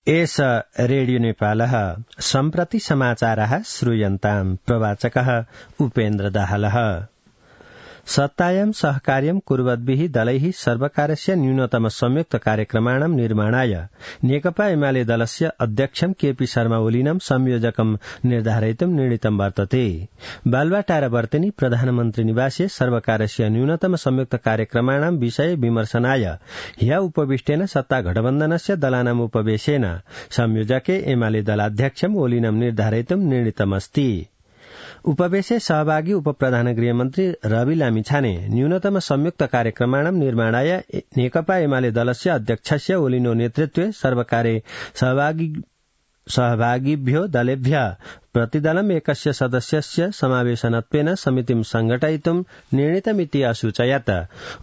एष रेडियो नेपालः सम्प्रति समाचारः श्रूयन्ताम् प्रवाचकः उपेन्द्र दाहालः। सत्तायां सहकार्यं कुर्वद्भिः दलैः सर्वकारस्य न्यूनतम संयुक्त कार्यक्रमाणां निर्माणाय नेकपा एमाले दलस्य अध्यक्षं केपी शर्मा ओलीनं संयोजकं निर्धारयितुं निर्णीतं वर्तते। बालुवाटार वर्तेनी प्रधानमन्त्री निवासे सर्वकारस्य न्यूनतम संयुक्त कार्यक्रमाणां विषये विमर्शनाय ह्य उपविष्टेन सत्ता गठबन्धनस्य दलानाम् उपवेशेन संयोजके एमाले दलाध्यक्षं ओलीनं निर्धारयितुं निर्णीतमस्ति। उपवेशे सहभागी उपप्रधान गृहमन्त्री रवि लामिछाने न्यूनतम संयुक्त कार्यक्रमाणां निर्माणाय नेकपा एमाले दलस्य अध्यक्षस्य ओलिनो नेतृत्वे सर्वकारे सहभागिभ्यो दलेभ्यः प्रतिदलम् एकस्य सदस्यस्य समावेशनत्वेन समितिं संघटयितुं निर्णीतमिति असूचयत्।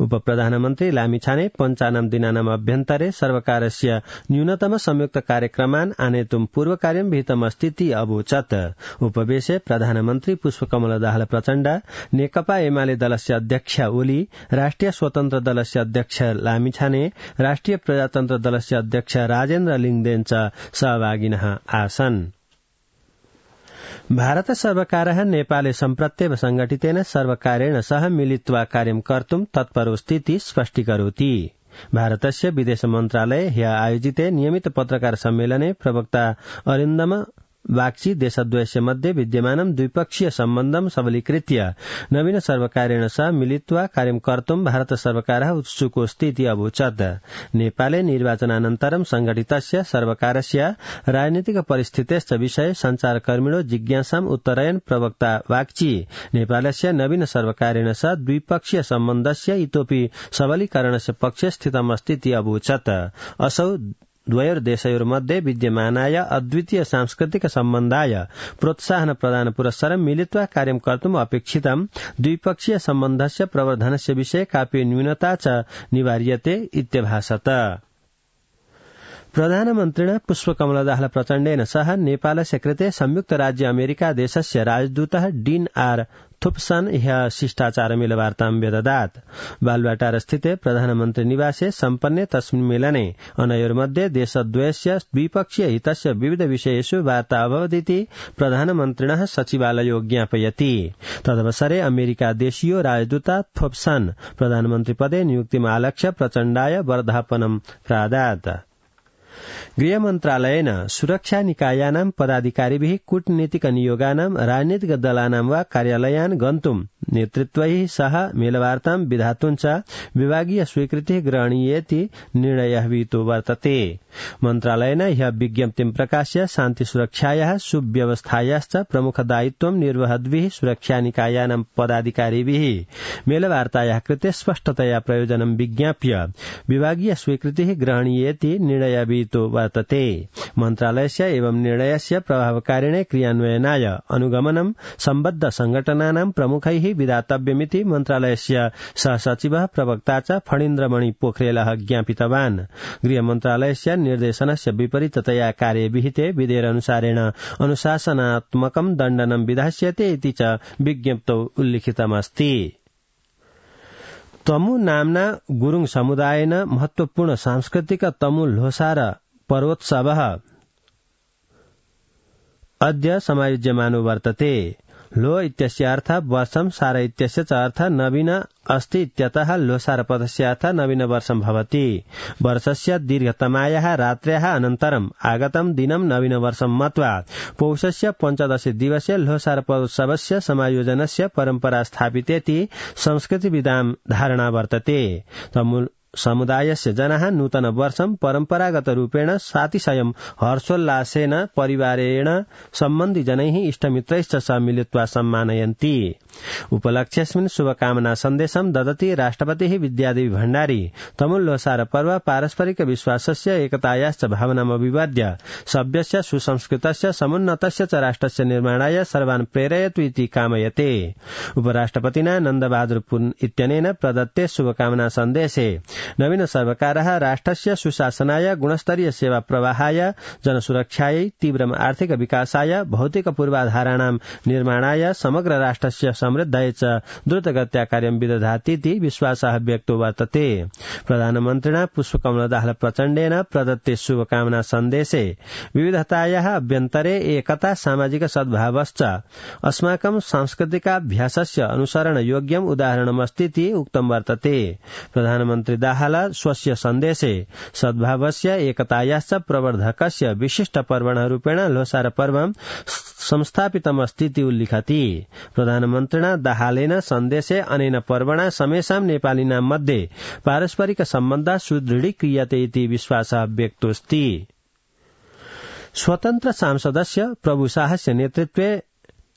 उपप्रधानमन्त्री लामिछाने 55 दिनानाम् अभ्यन्तरे सर्वकारस्य न्यूनतम संयुक्त कार्यक्रमान् आनेतुं पूर्वकार्यं विहितमस्तीति अवोचत्। उपवेशे प्रधानमन्त्री पुष्पकमल दाहाल प्रचण्ड, नेकपा एमाले दलस्य अध्यक्ष ओली, राष्ट्रिय स्वतन्त्र दलस्य अध्यक्ष लामिछाने, राष्ट्रिय प्रजातन्त्र दलस्य अध्यक्ष राजेन्द्र लिङदेन च सहभागिनः आसन्। भारत सर्वकारः नेपाले सम्प्रत्येव संघटितेन सर्वकारेण सह मिलित्वा कार्यं कर्तुं तत्परोस्तीति स्पष्टीकरोति। भारतस्य विदेश मन्त्रालये ह्य आयोजिते नियमित पत्रकार सम्मेलने प्रवक्ता अरिन्दम बागची देशद्वयस्य मध्ये विद्यमानं द्विपक्षीय सम्बन्धं सबलीकृत्य नवीन सर्वकारेण सह मिलित्वा कार्यं कर्तुं भारत सर्वकारः उत्सुकोऽस्तीति अवोचत्। नेपाले निर्वाचनानन्तरं संघटितस्य सर्वकारस्य राजनीतिक परिस्थितेश्च विषये संचारकर्मिणो जिज्ञासाम् उत्तरयन् प्रवक्ता बागची नेपालस्य नवीन सर्वकारेण सह द्विपक्षीय सम्बन्धस्य इतोपि सबलीकरणस्य पक्षे स्थितमस्तीति अवोचत्। असौ द्वयोर्देशयोर्मध्ये विद्यमानाय अद्वितीय सांस्कृतिक सम्बन्धाय प्रोत्साहन प्रदान पुरस्सरं मिलित्वा कार्यं कर्तुम् अपेक्षितं द्विपक्षीय सम्बन्धस्य प्रवर्धनस्य विषये कापि न्यूनता च निवार्यते इत्यभासत। प्रधानमन्त्रिणा पुष्पकमल दाहाल प्रचण्डेन सह नेपालस्य कृते संयुक्त राज्य अमेरिका देशस्य राजदूतः डीन आर थुप्सन ह्यः शिष्टाचारमेलवार्तां व्यददात्। बालुवाटार स्थिते प्रधानमन्त्री निवासे सम्पन्ने तस्मिन् मेलने अनयोर्मध्ये देशद्वयस्य द्विपक्षीय हितस्य विविध विषयेषु वार्ता अभवदिति प्रधानमन्त्रिणः सचिवालयो ज्ञापयति। तदवसरे अमेरिका देशीयो राजदूता थोप्सन प्रधानमन्त्रिपदे नियुक्तिम् आलक्ष्य प्रचण्डाय वर्धापनं प्रादात्। गृहमन्त्रालयेन सुरक्षा निकायानां पदाधिकारिभिः कूटनीतिक नियोगानां राजनीतिक दलानां वा कार्यालयान् गन्तुं नेतृत्वैः सह मेलवार्तां विधातुं च विभागीय स्वीकृतिः ग्रहणीयेति निर्णयः विहितो वर्तते। मन्त्रालयेन ह्यः विज्ञप्तिं प्रकाश्य शान्ति सुरक्षायाः सुव्यवस्थायाश्च प्रमुख दायित्वं निर्वहद्भिः सुरक्षा निकायानां पदाधिकारिभिः मेलवार्तायाः कृते स्पष्टतया प्रयोजनं विज्ञाप्य विभागीय स्वीकृतिः ग्रहणीयेति निर्णयः विहितो वर्तते। मन्त्रालयस्य एवं निर्णयस्य प्रभावकारिणे क्रियान्वयनाय अनुगमनं सम्बद्ध संघटनानां प्रमुखैः विधातव्यमिति मन्त्रालयस्य सहसचिवः प्रवक्ता च फणीन्द्रमणि पोखरेलः ज्ञापितवान्। गृहमन्त्रालयस्य निर्देशनस्य विपरीततया कार्ये विहिते विधेयकानुसारेण अनुशासनात्मकं दण्डनं विधास्यते इति च विज्ञप्तौ उल्लिखितमस्ति। तमु नाम्ना गुरुङ समुदायेन महत्वपूर्ण सांस्कृतिक तमु ल्होसार पर्वोत्सवः अद्य समायोज्यमानो वर्तते। लो इत्यस्य अर्थः वर्षं, सार इत्यस्य च अर्थः नवीन अस्ति इत्यतः लोसारपदस्य अर्थः नवीन वर्षं भवति। वर्षस्य दीर्घतमायाः रात्र्याः अनन्तरम् आगतं दिनं नवीन वर्षं मत्वा पौषस्य 15 दिवसे लोसारपोत्सवस्य समायोजनस्य परम्परा स्थापितेति संस्कृतिविदां धारणा वर्तते। समुदायस्य जनाः नूतन वर्षं परम्परागत रूपेण सातिशयं हर्षोल्लासेन परिवारेण सम्बन्धि जनैः इष्टमित्रैश्च सह मिलित्वा सम्मानयन्ति। उपलक्ष्यस्मिन् शुभकामना सन्देशं ददति राष्ट्रपतिः विद्यादेवी भण्डारी। तमुल्लोसार पर्व पारस्परिक विश्वासस्य एकतायाश्च भावनाम् अभिवाद्य सभ्यस्य सुसंस्कृतस्य समुन्नतस्य च राष्ट्रस्य निर्माणाय सर्वान् प्रेरयतु इति कामयते। उपराष्ट्रपतिना नन्दबहादुर पुन इत्यनेन प्रदत्ते शुभकामना सन्देशे नवीन सर्वकारः राष्ट्रस्य सुशासनाय गुणस्तरीय सेवा प्रवाहाय जनसुरक्षायै तीव्रम आर्थिक विकासाय भौतिक पूर्वाधाराणां निर्माणाय समग्र राष्ट्रस्य समृद्धये च द्रुतगत्या कार्यं विदधातीति विश्वासः व्यक्तो वर्तते। प्रधानमन्त्रिणा पुष्पकमलदाहाल प्रचण्डेन प्रदत्ते शुभकामना सन्देशे विविधतायाः अभ्यन्तरे एकता सामाजिक सद्भावश्च अस्माकं सांस्कृतिकाभ्यासस्य अनुसरण योग्यम् उदाहरणमस्तीति उक्तं वर्तते। प्रधानमन्त्री दाहाल स्वस्य सन्देशे सद्भावस्य एकतायाश्च प्रवर्धकस्य विशिष्ट पर्वणरूपेण लोसार पर्वं संस्थापितमस्तीति उल्लिखति। प्रधानमन्त्रिणा दाहालेन सन्देशे अनेन पर्वणा समेषां नेपालिनां मध्ये पारस्परिक सम्बन्धः सुदृढीक्रियते इति विश्वासः व्यक्तोऽस्ति। स्वतन्त्र सांसदस्य प्रभुशाहस्य नेतृत्वे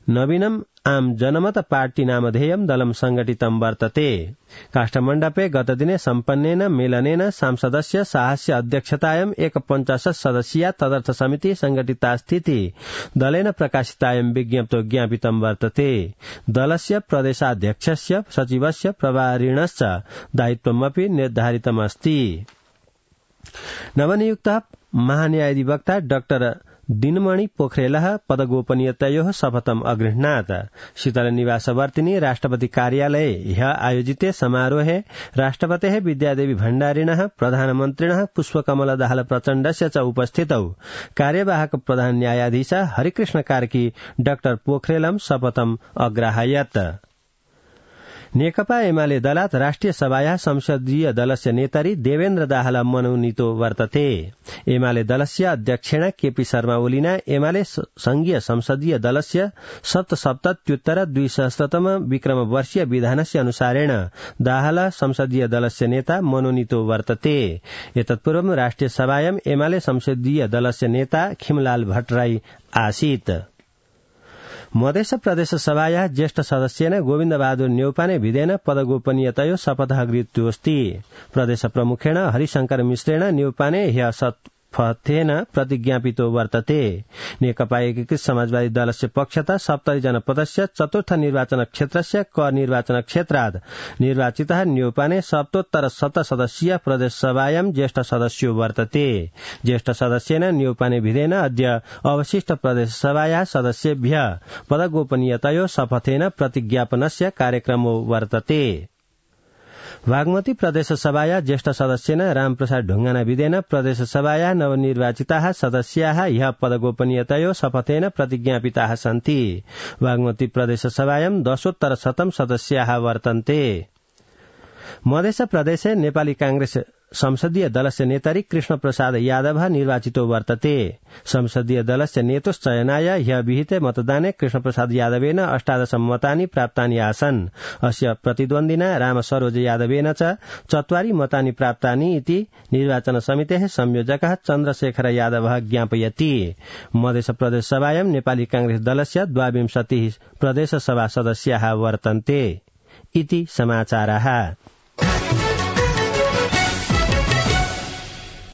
नवीनम् आम जनमत पार्टी नामधेयं दलं संघटितं वर्तते। काष्ठमण्डपे गतदिने सम्पन्नेन मेलनेन सांसदस्य शाहस्य अध्यक्षतायां 51 सदस्यीया तदर्थ समिति संघटितास्थिति दलेन प्रकाशितायां विज्ञप्तो ज्ञापितं वर्तते। दलस्य प्रदेशाध्यक्षस्य सचिवस्य प्रभारिणश्च दायित्वमपि निर्धारितमस्ति। नवनियुक्तः महान्यायाधिवक्ता डाक्टर दिनमणि पोखरेलः पदगोपनीयतयोः शपथम् अगृह्णात्। शीतलनिवासवर्तिनी राष्ट्रपति कार्यालये ह्यः आयोजिते समारोहे राष्ट्रपतेः विद्यादेवी भण्डारिणः प्रधानमन्त्रिणः पुष्पकमल दाहाल प्रचण्डस्य च उपस्थितौ कार्यवाहक प्रधान न्यायाधीश हरिकृष्ण कार्की डाक्टर पोखरेलं शपथम् अग्राहयत्। नेकपा एमाले दलात् राष्ट्रिय सभायाः संसदीय दलस्य नेतारी देवेन्द्र दाहाल मनोनीतो वर्तते। एमाले दलस्य अध्यक्षेण केपी शर्मा ओलीना एमाले संघीय संसदीय दलस्य 77-200तम विक्रम वर्षीय विधानस्य अनुसारेण दाहाल संसदीय दलस्य नेता मनोनीतो वर्तते। एतत्पूर्वं राष्ट्रिय सभायां एमाले संसदीय दलस्य नेता खिमलाल भट्टराई आसीत्। मध्य प्रदेश सभायाः ज्येष्ठ सदस्येन गोविन्द बहादुर न्यौपाने विधेन पदगोपनीयतयो शपथः गृहीतोऽस्ति। प्रदेश प्रमुखेण हरिशंकर मिश्रेण न्यौपाने ह्यः शपथेन प्रतिज्ञापितो वर्तते। नेकपा एकीकृत समाजवादी दलस्य पक्षतः 70 जनपदस्य चतुर्थ निर्वाचन क्षेत्रस्य क निर्वाचन क्षेत्रात् निर्वाचितः न्यौपाने सप्तोत्तर 7 सदस्यीय प्रदेश सभायां ज्येष्ठ सदस्यो वर्तते। ज्येष्ठ सदस्येन न्यौपाने विधेन अद्य अवशिष्ट प्रदेश सभायाः सदस्येभ्यः पदगोपनीयतयो शपथेन प्रतिज्ञापनस्य कार्यक्रमो वर्तते। बागमती प्रदेश सभाया ज्येष्ठ सदस्येन रामप्रसाद ढुङ्गाना विधेन प्रदेश सभाया नवनिर्वाचिताः सदस्याः ह्यः पदगोपनीयतयो शपथेन प्रतिज्ञापिताः सन्ति। बागमती प्रदेश सभायां 10 सदस्याः वर्तन्ते। मध्य प्रदेशे नेपाली कांग्रेस संसदीय दलस्य नेतारी कृष्ण प्रसाद यादव निर्वाचितो वर्तते। संसदीय दलस्य नेतुश्चयनाय ह्यः विहिते मतदाने कृष्ण प्रसाद यादवेन 18 मतानि प्राप्तानि आसन्। अस्य प्रतिद्वन्दिना राम सरोज यादवेन च 4 मतानि प्राप्तानि इति निर्वाचन समितेः संयोजकः चन्द्रशेखर यादवः ज्ञापयति। मध्य प्रदेश सभायां नेपाली कांग्रेस दलस्य 22 प्रदेश सभा सदस्याः वर्तन्ते इति समाचारः।